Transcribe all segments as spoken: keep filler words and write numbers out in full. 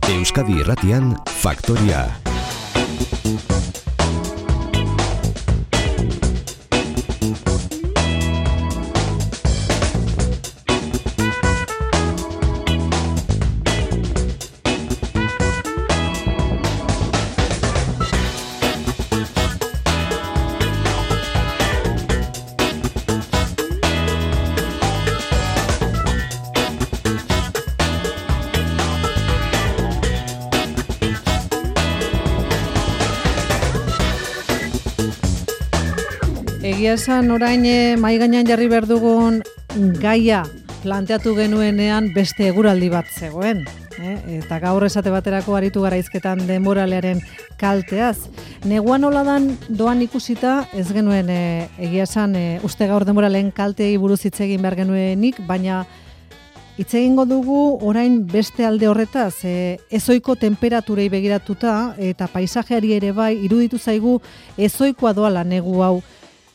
Euskadi Irratian, Faktoria. Egia esan orain mahai gainean jarri behar dugun gaia planteatu genuenean beste eguraldi bat zegoen. Eh? Eta gaur esate baterako aritu gara hizketan denboralearen kalteaz. Negua nola dan doan ikusita ez genuen e, egia esan e, uste gaur denboralean kalteei buruz hitz egin behar genuenik, baina hitz egingo dugu orain beste alde horretaz, e, ezoiko temperaturei begiratuta eta paisajeari ere bai iruditu zaigu ezoikoa doala negu hau.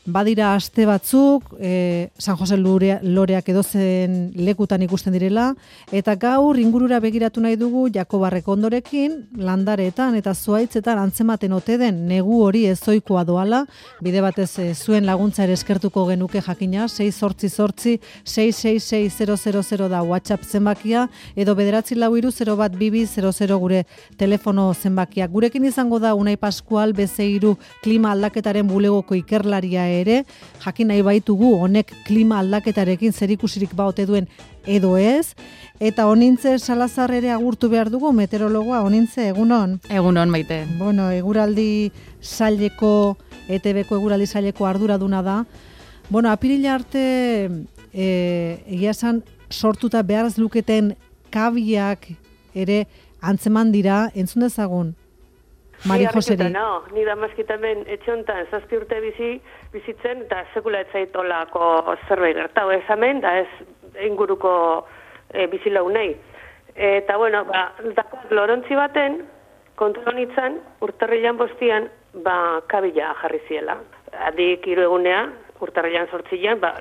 Badira aste batzuk, e, San Jose Lorea, Loreak edozen lekutan ikusten direla, eta gaur ingurura begiratu nahi dugu Jakobarreko ondorekin, landareetan eta zuaitzetan antzematen ote den negu hori ezoikoa doala, bide batez e, zuen laguntza ere eskertuko genuke jakina, sei zortzi zortzi, sei sei sei zero zero zero da WhatsApp zenbakia, edo bederatzi lau hiru zero bat bi bi zero zero gure telefono zenbakia. Gurekin izango da Unai Pascual Bezeiru klima aldaketaren bulegoko ikerlaria ere, jakin nahi baitugu honek klima aldaketarekin zerikusirik baote duen edo ez, eta Onintze Salazar ere agurtu behar dugu, meteorologoa. Onintze, egunon? Egunon, Maite. Bueno, eguraldi saileko, E T Bko eguraldi saileko arduraduna da. Bueno, apirila arte e, egia esan sortuta behar ez luketen kabiak ere antzeman dira, entzun dezagun? Mari Joseri. No, ni damazkitamen etxontan zazpi urte bizi, bizitzen, eta sekula etzaitolako zerbait gertau ez hemen, da ez inguruko e, bizilaunei. Eta, bueno, ba, dakot lorontzi baten, kontronitzan, urtarrilan bostian, ba, kabila jarri ziela. Adik hiru egunea, urtarrilan sortzilean, ba,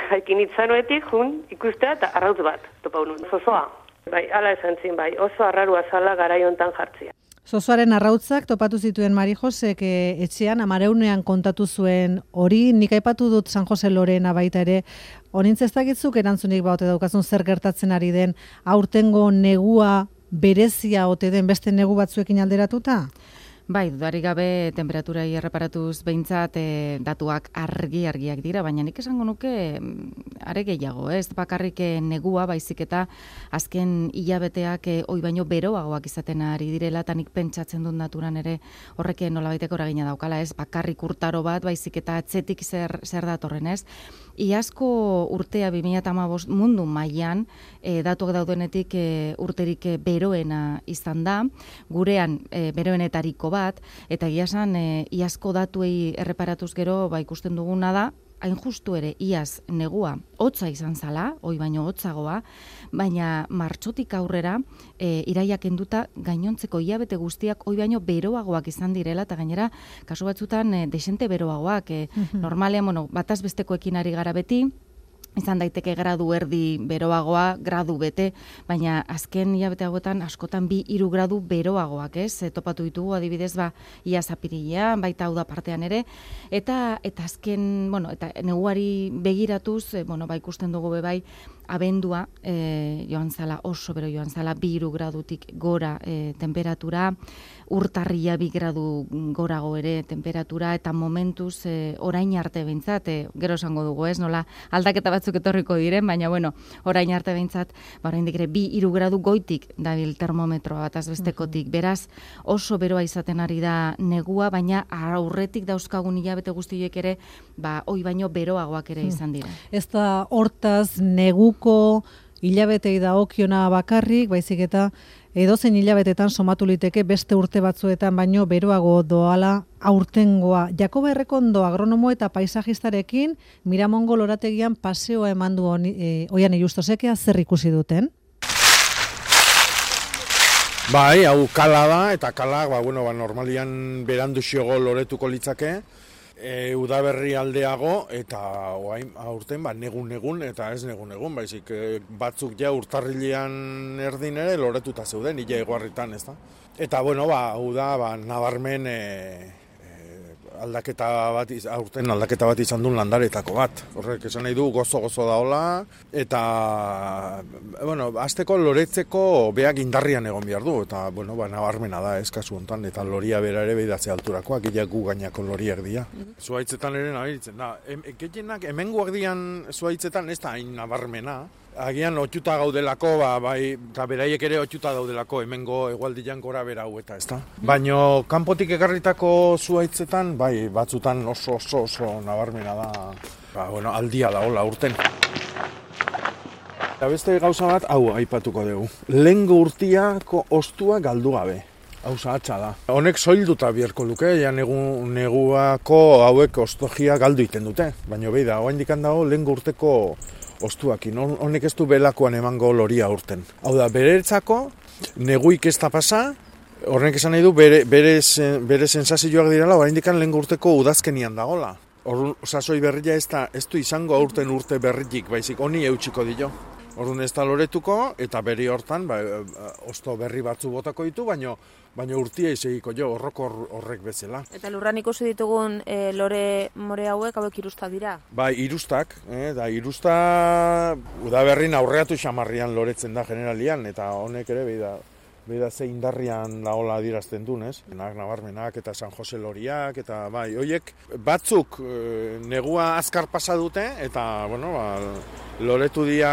jaikin itzanoetik, jun, ikustea, eta arrautz bat, topa unun. Zozoa, bai, ala esan zin, bai, oso arrarua zala garaiontan jartzia. Zozoaren arrautzak topatu zituen Mari Josek e, etxean, amareunean kontatu zuen hori, nik aipatu dut San Jose Lorena baita ere, Onintze ez dakitzuk erantzunik baute daukazun zer gertatzen ari den, aurtengo negua berezia ote den beste negu batzuekin alderatuta? Bai, dudarik gabe temperaturai erreparatuz behintzat e, datuak argi-argiak dira, baina nik esango nuke are gehiago, ez bakarrik negua, baizik eta azken hilabeteak e, oi baino beroagoak izaten ari direla, eta nik pentsatzen dut naturan ere horrek nolabaiteko eragina daukala, ez bakarrik urtaro bat, baizik eta atzetik zer, zer datorren, ez? Iazko urtea bi mila hamabost mundu mailan e, datuak daudenetik e, urterik e, beroena izan da, gurean e, beroenetariko bat, eta egia esan e, iazko datuei erreparatuz gero ba, ikusten duguna da, hain justu ere iaz negua hotza izan zala, oi baino hotzagoa, baina martxotik aurrera e, iraia kenduta gainontzeko hilabete guztiak oi baino beroagoak izan direla, eta gainera kasu batzutan e, desente beroagoak, e, mm-hmm. normalean, bueno, bataz bestekoekin ari gara beti, izan daiteke gradu erdi beroagoa, gradu bete, baina azken hilabete hauetan askotan bi hiru gradu beroagoak, ez? E, topatu ditugu adibidez ba iaz apirilean, baita hau da partean ere, eta eta azken, bueno, eta neguari begiratuz, e, bueno, ba ikusten dugu be bai abendua e, joan zala, oso bero joan zala, bi hiru gradutik gora e, temperatura, urtarria bi gradu gorago ere temperatura, eta momentuz e, orain arte behintzat, e, gero esango dugu ez, nola aldaketa batzuk etorriko diren, baina bueno, orain arte behintzat, ba oraindik ere bi hiru gradu goitik dabil termometroa bataz bestekotik, beraz oso beroa izaten ari da negua, baina aurretik dauzkagun hilabete guztiek ere, ba oi baino beroagoak ere izan dira. Ez da hortaz neguko hilabetei dagokiona bakarrik, baizik eta edozein hilabetetan somatu liteke beste urte batzuetan baino beroago doala aurtengoa. Jakoba Errekondo agronomo eta paisajistarekin Miramongo lorategian paseoa eman du e, Oian Illustosek zer ikusi duten? Bai, hau kala da, eta kala, ba, bueno, ba, normalian berandu xiogo loretuko litzake, e, udaberri aldeago, eta oain aurten ba, negun-negun, eta ez negun-negun, baizik e, batzuk ja urtarrilean erdin ere loretuta zeuden, ila eguarritan, ez da. Eta, bueno, ba, hau da, ba, nabarmen e, aldaketa bat, aurten aldaketa bat izan duen landaretako bat. Horrek esan nahi du gozo-gozo daola, eta, bueno, azteko loretzeko beak indarrian egon behar du, eta, bueno, ba, nabarmena da, ez kasu hontan, eta loria bera ere behidatze alturakoak, gila gu gainako loriak dira. Mm-hmm. Zuaitzetan ere nabaritzen, da, em, gehienak, hemengoak dian zuaitzetan ez da hain nabarmena, agian otxuta gaudelako, ba, bai, eta beraiek ere otxuta daudelako, hemengo egualdian gora bera hau eta, ezta? Baino, kanpotik ekarritako zuaitzetan, bai, batzutan oso oso oso nabarmena da, ba, bueno, aldia da, hola, urten. Eta beste gauza bat, hau aipatuko dugu. Lehengo urtiako ostua galdu gabe. Hau zahatza da. Honek soilduta biherko luke, ja negu, neguako hauek ostogia galdu iten dute. Baina behi da, hoa indikan dago lehengo urteko ostuakin, honek ez du belakoan emango loria urten. Hau da, beretzako, neguik ez da pasa, horrek esan nahi du bere, bere, bere sensazioak direla, hori indikan lehen urteko udazkenian dagola. Orduan, sasoi berria ez, da, ez du izango aurten urte berritik, baizik, honi eutxiko dio. Orduan ez da loretuko, eta beri hortan, ba, osto berri batzu botako ditu, baino, baina urtia izegiko jo, horroko horrek bezala. Eta lurran ikusi ditugun e, lore more hauek, hauek irusta dira? Bai, irustak, eh, da irusta udaberrin aurreatu xamarrian loretzen da generalian, eta honek ere behi da, behi da ze indarrian daola adirazten duen, ez? Nabarmenak eta San Jose loriak, eta bai, hoiek batzuk e, negua azkar pasa dute, eta, bueno, ba, loretu dia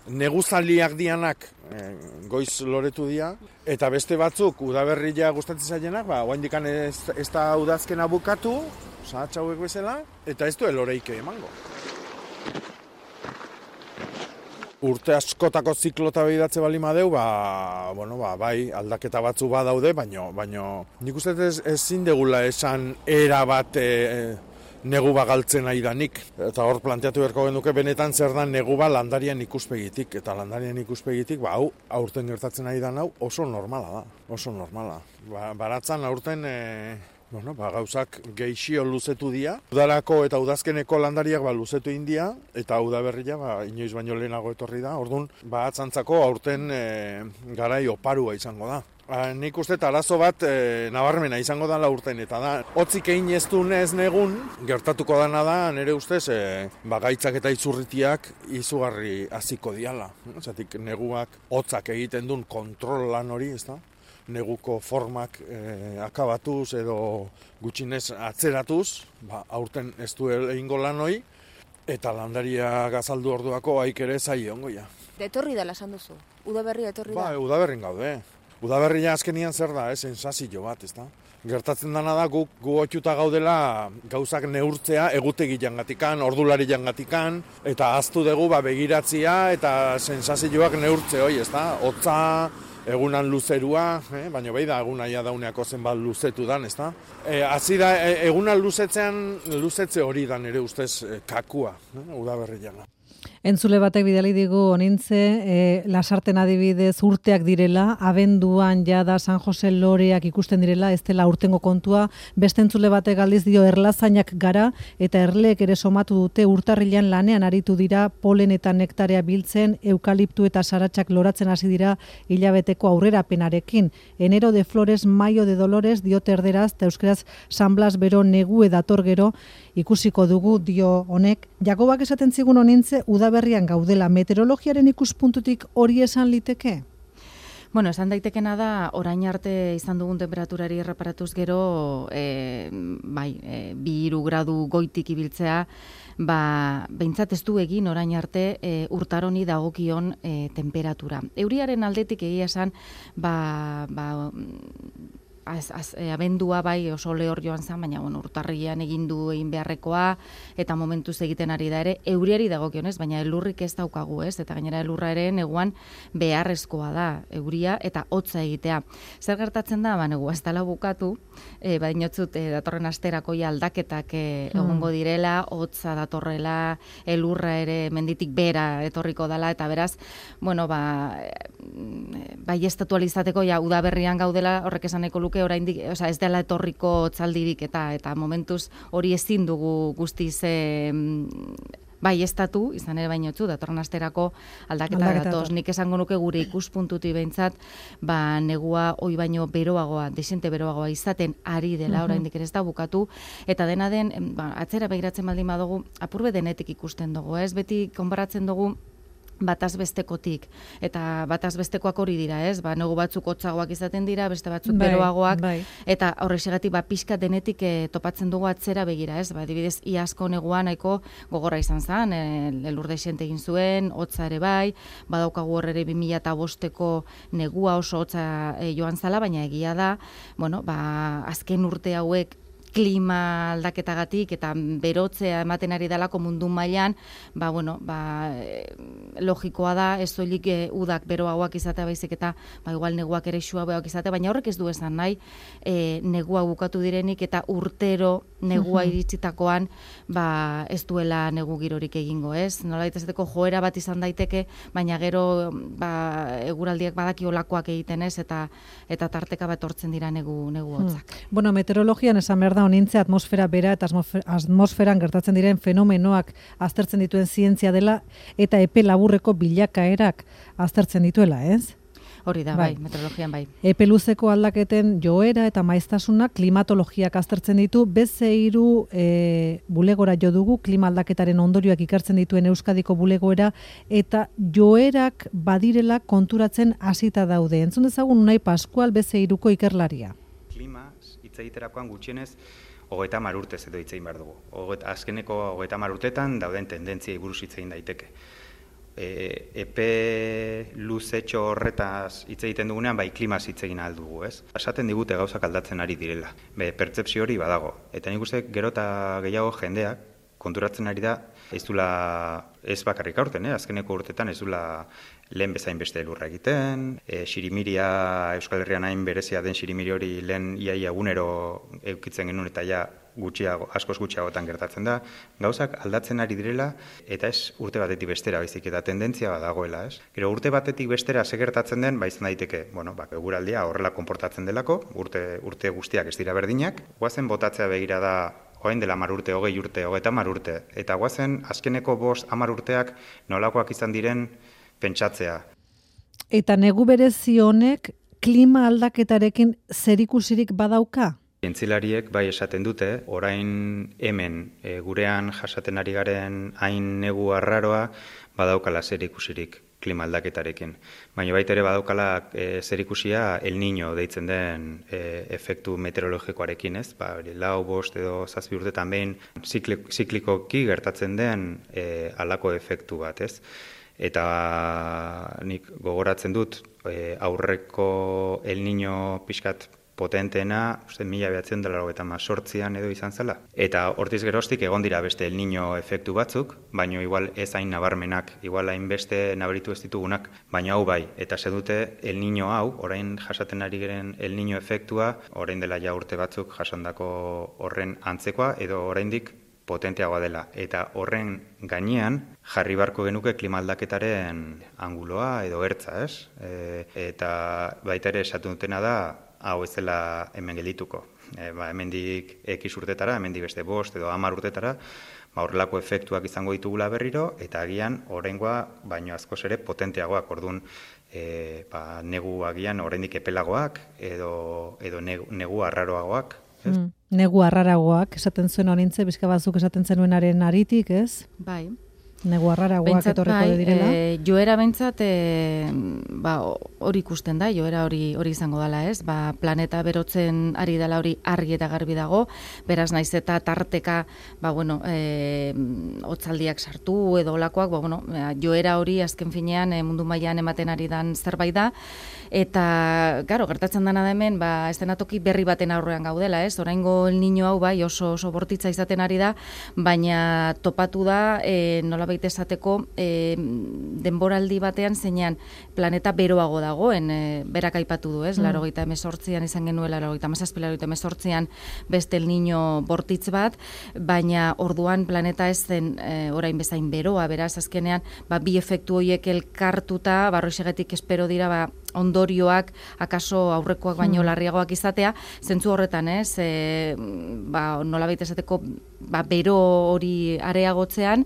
neguzaliak dianak e, goiz loretu dia, eta beste batzuk udaberria gustatzen zaienak, ba, oaindikan ez, ez da udazkena bukatu, zahatza hauek bezala, eta ez du eloreike emango. Urte askotako ziklota behidatze bali madeu, ba, bueno, ba, bai, aldaketa batzu badaude, baino, baino nik uste ez, ezin degula esan era bat e, negu bagaltzen nahi danik. Eta hor planteatu beharko genuke benetan zer da negu ba landarian ikuspegitik. Eta landarian ikuspegitik, ba, hau, aurten gertatzen nahi dan hau oso normala da, oso normala. Ba, baratzan aurten... E, Bueno, ba, gauzak geixio luzetu dira. Udarako eta udazkeneko landariak ba, luzetu india, eta udaberria ba, inoiz baino lehenago etorri da. Orduan, ba, atzantzako aurten e, garai oparua izango da. Ba, nik uste arazo bat e, nabarmena izango da urten, eta da, hotzik egin ez du nez negun, gertatuko dana da, nire ustez, e, ba, gaitzak eta izurritiak izugarri hasiko diala. Zatik, neguak hotzak egiten duen kontrol lan hori, ez da? Neguko formak e, akabatuz edo gutxinez atzeratuz, ba, aurten ez du egingo lan hori, eta landaria gazaldu orduako haik ere zai ongoia. Etorri dela esan duzu, udaberria etorri da? Ba, udaberrin gaude. Udaberria azkenian zer da, eh, sensazio bat, ez da? Gertatzen dana da, gu, gu otxuta gaudela gauzak neurtzea egutegi jangatikan, ordulari jangatikan, eta aztu dugu ba, begiratzia eta sensazioak neurtze hoi, ez da? Hotza, egunan luzerua, eh? Baina behi da egunaia dauneako zenbat luzetu dan, ez da? E, Hazi da, e, egunan luzetzean, luzetze hori dan ere ustez e, kakua, eh? Udaberrian. Entzule batek bidali digu onintze, e, lasarten adibidez urteak direla, abenduan jada San Jose loreak ikusten direla, ez dela urtengo kontua, beste entzule batek aldiz dio erlazainak gara, eta erleek ere somatu dute urtarrilan lanean aritu dira, polen eta nektarea biltzen, eukaliptu eta saratxak loratzen hasi dira hilabeteko aurrerapenarekin. Enero de flores, maio de dolores, diote erderaz, eta euskeraz San Blas bero negue dator gero, ikusiko dugu dio honek. Jakobak esaten zigun onintze, udaberrian gaudela, meteorologiaren ikuspuntutik hori esan liteke? Bueno, esan daitekena da, orain arte izan dugun temperaturari erreparatuz gero, e, bai, e, bi hiru gradu goitik ibiltzea, ba, behintzat ez du egin orain arte e, urtaroni dagokion e, temperatura. Euriaren aldetik egia esan, ba, ba, Az, az, e, abendua bai oso lehor joan zen, baina bueno, urtarrian egin du egin beharrekoa, eta momentuz egiten ari da ere, euriari dagokionez, baina elurrik ez daukagu, ez? Eta gainera elurra ere neguan beharrezkoa da, euria eta hotza egitea. Zer gertatzen da, ba, negua ez dela bukatu, e, badinotzut e, datorren asterako ja aldaketak e, egongo direla, hotza datorrela, elurra ere menditik bera etorriko dela, eta beraz, bueno, ba, bai estatualizateko ja udaberrian gaudela, horrek esaneko luke nuke oraindik, osea, ez dela etorriko otzaldirik eta eta momentuz hori ezin dugu guztiz e, bai estatu, izan ere bainotzu, datorren asterako aldaketa datoz. Nik esango nuke gure ikuspuntutik behintzat, ba, negua oi baino beroagoa, desente beroagoa izaten ari dela, oraindik ere ez da bukatu, eta dena den, ba, atzera begiratzen baldin badugu, apurbe denetik ikusten dugu, ez? Beti konparatzen dugu bataz bestekotik, eta bataz bestekoak hori dira, ez? Ba, negu batzuk hotzagoak izaten dira, beste batzuk bai, beroagoak, bai. Eta horrexegatik ba, pixka denetik e, topatzen dugu atzera begira, ez? Ba, adibidez, iazko negua nahiko gogorra izan zen, elurde xente egin zuen, hotza ere bai, badaukagu hor ere bi mila bosteko negua oso hotza e, joan zala, baina egia da, bueno, ba, azken urte hauek klima aldaketagatik eta berotzea ematen ari dalako mundu mailan, ba, bueno, ba, logikoa da, ez soilik e, udak beroagoak izatea baizik eta ba, igual neguak ere suabeagoak izatea, baina horrek ez du esan nahi e, negua bukatu direnik eta urtero negua iritsitakoan ba, ez duela negu girorik egingo, ez? Nola daitezateko joera bat izan daiteke, baina gero ba, eguraldiak badaki olakoak egiten ez, eta eta tarteka bat hortzen dira negu, negu hotzak. Hmm. Bueno, meteorologian esan behar da honintze atmosfera bera eta atmosferan gertatzen diren fenomenoak aztertzen dituen zientzia dela eta epe laburreko bilakaerak aztertzen dituela, ez? Hori da, bai, bai meteorologian bai. Epe luzeko aldaketen joera eta maiztasuna klimatologiak aztertzen ditu, beze hiru e, bulegora jo dugu klima aldaketaren ondorioak ikartzen dituen Euskadiko bulegoera eta joerak badirela konturatzen hasita daude. Entzun dezagun Unai Pascual beze hiruko ikerlaria. Klima hitz egiterakoan gutxienez hogeita hamar urtez edo hitz egin behar dugu. Oget, azkeneko hogeita hamar urtetan dauden tendentziei buruz hitz egin daiteke. E, epe luzetxo horretaz hitz egiten dugunean, bai klimaz hitz egin ahal dugu, ez? Esaten digute gauzak aldatzen ari direla. Be, pertzepzio hori badago. Eta nik uste gero eta gehiago jendeak konturatzen ari da, ez dula, ez bakarrik aurten, eh? Azkeneko urtetan ez dula lehen bezain beste elurra egiten, e, xirimiria Euskal Herrian hain berezia den xirimiri hori lehen iaia egunero eukitzen genuen eta ja gutxiago, askoz gutxiagotan gertatzen da. Gauzak aldatzen ari direla eta ez urte batetik bestera baizik eta tendentzia badagoela, ez? Gero urte batetik bestera ze gertatzen den, ba izan daiteke, bueno, ba eguraldia horrela konportatzen delako, urte urte guztiak ez dira berdinak. Goazen botatzea begira da orain dela hamar urte, hogei urte, hogeita hamar urte. Eta goazen azkeneko bost hamar urteak nolakoak izan diren pentsatzea. Eta negu berezi honek klima aldaketarekin zerikusirik badauka? Zientzilariek bai esaten dute, orain hemen e, gurean jasaten ari garen hain negu arraroa badaukala zerikusirik klima aldaketarekin. Baina baita ere badaukala e, zerikusia El Niño deitzen den e, efektu meteorologikoarekin, ez? Ba, lau, bost edo zazpi urtetan behin ziklik, ziklikoki gertatzen den e, halako efektu bat, ez? Eta nik gogoratzen dut e, aurreko El Niño pixkat potenteena, uste, mila behatzen dela eta mazortzian edo izan zela. Eta hortiz geroztik egon dira beste El Niño efektu batzuk, baina igual ez hain nabarmenak, igual hain beste nabaritu ez ditugunak, baina hau bai. Eta ze dute El Niño hau, orain jasaten ari geren El Niño efektua, orain dela ja urte batzuk jasandako horren antzekoa, edo oraindik potenteagoa dela. Eta horren gainean jarri barko genuke klima aldaketaren anguloa edo ertza, ez? E, eta baita ere esatu dutena da, hau ez dela hemen geldituko. E, ba, hemendik ekiz urtetara, hemendik beste bost edo hamar urtetara, ba, horrelako efektuak izango ditugula berriro, eta agian oraingoa baino askoz ere potenteagoak, orduan e, ba, negu agian oraindik epelagoak edo, edo negu, negu arraroagoak. Ez? Mm, negu arraragoak, esaten zuen honintze, bizka batzuk esaten zenuenaren aritik, ez? Bai. Negu arraragoak etorreko bai, direla. E, joera bentsat e, ba, hori ikusten da, joera hori hori izango dela, ez? Ba, planeta berotzen ari dela hori argi eta garbi dago, beraz naiz eta tarteka, ba, bueno, e, hotzaldiak sartu edo olakoak, ba, bueno, joera hori azken finean e, mundu mailan ematen ari dan zerbait da, eta, garo, gertatzen dena da hemen, ba, estenatoki berri baten aurrean gaudela, ez? Oraingo El Niño hau bai oso oso bortitza izaten ari da, baina topatu da, e, nola nolabait esateko e, denboraldi batean zeinean planeta beroago dagoen, e, berak aipatu du, ez? Mm. Laurogeita hemezortzian izan genuela, laurogeita hamazazpi, laurogeita hemezortzian beste El Niño bortitz bat, baina orduan planeta ez zen e, orain bezain beroa, beraz azkenean ba, bi efektu horiek elkartuta, barroixegetik espero dira ba, ondorioak akaso aurrekoak baino hmm. larriagoak izatea, zentzu horretan, ez, e, ba, nolabait esateko ba, bero hori areagotzean,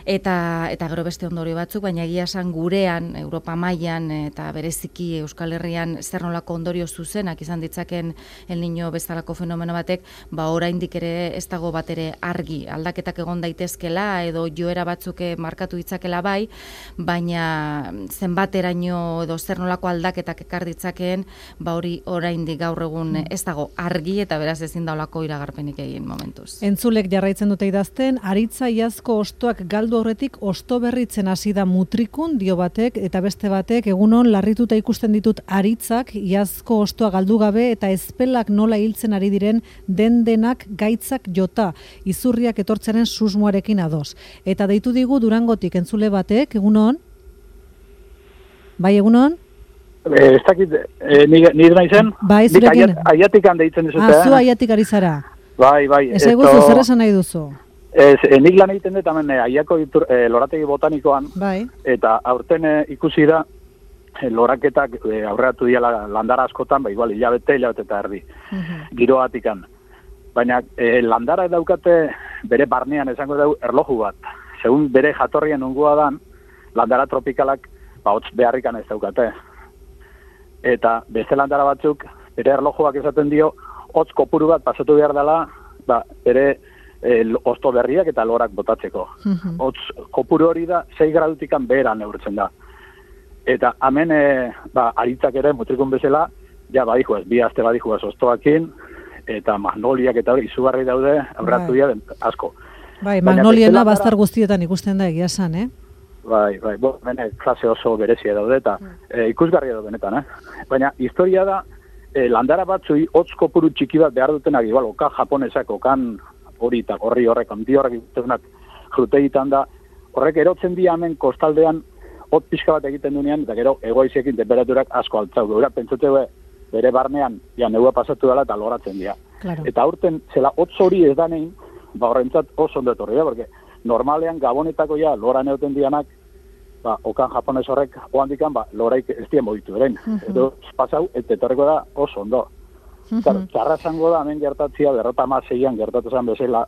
eta eta gero beste ondorio batzuk, baina egia esan gurean, Europa mailan eta bereziki Euskal Herrian zer nolako ondorio zuzenak izan ditzaken El Niño bezalako fenomeno batek, ba oraindik ere ez dago bat ere argi, aldaketak egon daitezkela edo joera batzuk markatu ditzakela bai, baina zenbateraino edo zer nolako aldaketak ekar ditzakeen, ba hori oraindik gaur egun ez dago argi eta beraz ezin da holako iragarpenik egin momentuz. Entzulek jarraitzen dute idazten, aritza iazko ostoak galdu horretik osto berritzen hasi da mutrikun dio batek eta beste batek egunon larrituta ikusten ditut aritzak iazko ostoa galdu gabe eta ezpelak nola hiltzen ari diren den denak gaitzak jota izurriak etortzaren susmoarekin ados. Eta deitu digu Durangotik entzule batek egunon. Bai egunon? Eh, ez dakit, eh, nire naizen? Bai, zurekin. Aiatik deitzen dizute. Ah, zu aiatik ari zara. Bai, bai. Ez eguzu, zer esan nahi duzu? Ez, e, nik lan egiten dut, hemen e, aiako itur, e, lorategi botanikoan, bai. Eta aurten e, ikusi da, e, loraketak e, aurreatu diala landara askotan, ba, igual, hilabete, hilabete eta erdi, uh-huh. giroatikan. Baina e, landara daukate bere barnean esango dugu erloju bat. Segun bere jatorrian ungua dan, landara tropikalak, ba, hotz beharrikan ez daukate. Eta beste landara batzuk, bere erlojuak esaten dio, hotz kopuru bat pasatu behar dela, ba, bere El, osto berriak eta lorak botatzeko. Uh-huh. Otz, kopuru hori da, sei gradutikan behera neurtzen da. Eta hemen, e, ba, aritzak ere, mutrikun bezala, ja, badijuaz, bi aste badijuaz ostoakin, eta magnoliak eta hori izugarri daude, aurratu dira asko. Bai, magnoliena bastar guztietan ikusten da egia esan, eh? Bai, bai, bo, bene, klase oso berezia daude, eta uh. e, ikusgarria da benetan, eh? Baina, historia da, e, landara batzui, hotz kopuru txiki bat behar dutenak, igual, oka japonesak, okan hori eta gorri horrek, handi horrek ikustenak jutegitan da, horrek erotzen di hemen kostaldean hot pixka bat egiten dunean, eta gero egoiziekin temperaturak asko altzau. Gura, pentsatu bere barnean, ja, negua pasatu dela eta loratzen dira. Claro. Eta aurten, zela hotz hori ez da nein, ba horrentzat oso ondo etorri da, porque normalean gabonetako ja lora neoten dianak, ba, okan japones horrek oandikan, ba, loraik ez dien mogitu eren. Uh-huh. Edo pasau, eta etorriko da oso ondo. Uh-huh. Txarra zango da, hemen gertatzia, berrota maseian gertatu zen bezala,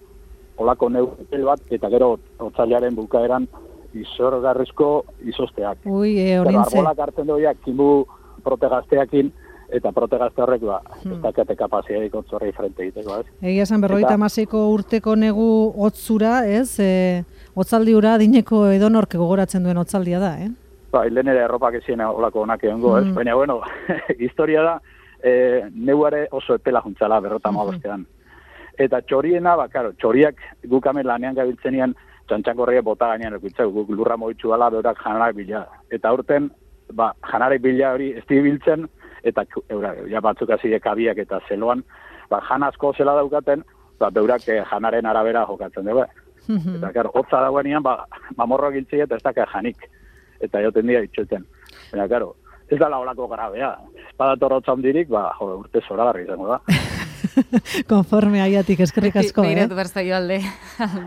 olako neupel bat, eta gero otzailearen bukaeran izorgarrizko izosteak. Ui, e, horintze. Arbolak hartzen doiak, kimu protegazteakin, eta protegazte horrek, ba, hmm. ez dakate kapaziadik otzorrei frente egiteko, ez? Egia esan, berrogeita hamaseiko urteko negu otzura, ez? E, otzaldi ura dineko edonork gogoratzen duen otzaldia da, eh? Ba, hilen ere erropak ezien olako onak egongo, ez? Hmm. Baina, bueno, historia da, E, neuare oso epela juntzala berrota mabostean. Eta txoriena, ba, karo, txoriak guk hemen lanean gabiltzenian, txantxankorriak bota gainean ekuitzak, guk lurra mogitxu gala, beurak janarak bila. Eta aurten, ba, janarek bila hori ez biltzen, eta eura, ja batzuk hasi kabiak eta zeloan, ba, jan asko zela daukaten, ba, beurak eh, janaren arabera jokatzen dugu. Eta, karo, hotza dagoenean, ba, mamorroak giltzea eta ez daka janik. Eta joten dira itxoten. Eta, karo, ez da laolako grabea. Espadator hotza hondirik, ba, jo, urte zoragarri izango da. Konforme aiatik, eskerrik asko, eh? Beiratu berzaio alde.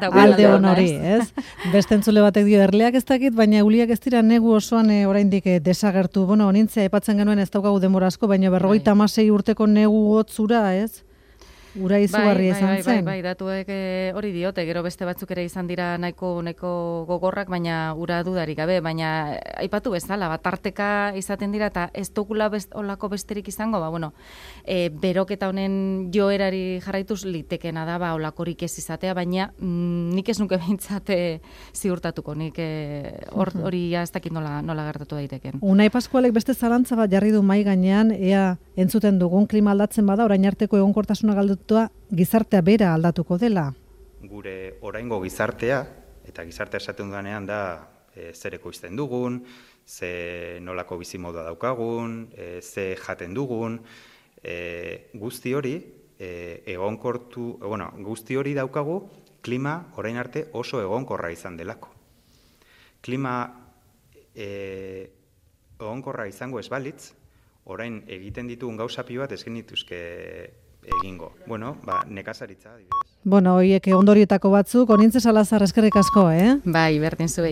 Alde honori, ez? Beste entzule batek dio, erleak ez dakit, baina euliak ez dira negu osoan e, oraindik e, desagertu. Bueno, nintzea, epatzen genuen ez daukagu denbora asko, baina berrogeita hamasei urteko negu hotzura, ez? Ura izugarri bai, izan bai, zen. Bai, bai, datuek hori diote, gero beste batzuk ere izan dira nahiko nahiko gogorrak, baina ura dudarik gabe, baina aipatu bezala, bat tarteka izaten dira, eta ez dokula best, olako besterik izango, ba, bueno, e, beroketa honen joerari jarraituz litekena da, ba, olakorik ez izatea, baina mm, nik ez nuke behintzate ziurtatuko, nik hori e, uh-huh. ez dakit nola, nola gertatu daiteken. Unai Paskualek beste zalantza bat jarri du mai gainean, ea entzuten dugun klima aldatzen bada, orain arteko egonkortasuna galdu gizartea bera aldatuko dela. Gure oraingo gizartea, eta gizartea esaten dudanean da e, zer ekoizten dugun, ze nolako bizimodua daukagun, e, ze jaten dugun, e, guzti hori e, egonkortu, bueno, guzti hori daukagu klima orain arte oso egonkorra izan delako. klima e, egonkorra izango ez balitz, orain egiten ditugun gauza pilo bat ez genituzke egingo. Bueno, ba, nekazaritza, adibidez. Bueno, hoiek ondorietako batzuk, Onintze Salazar eskerrik asko, eh? Bai, berdin zuei.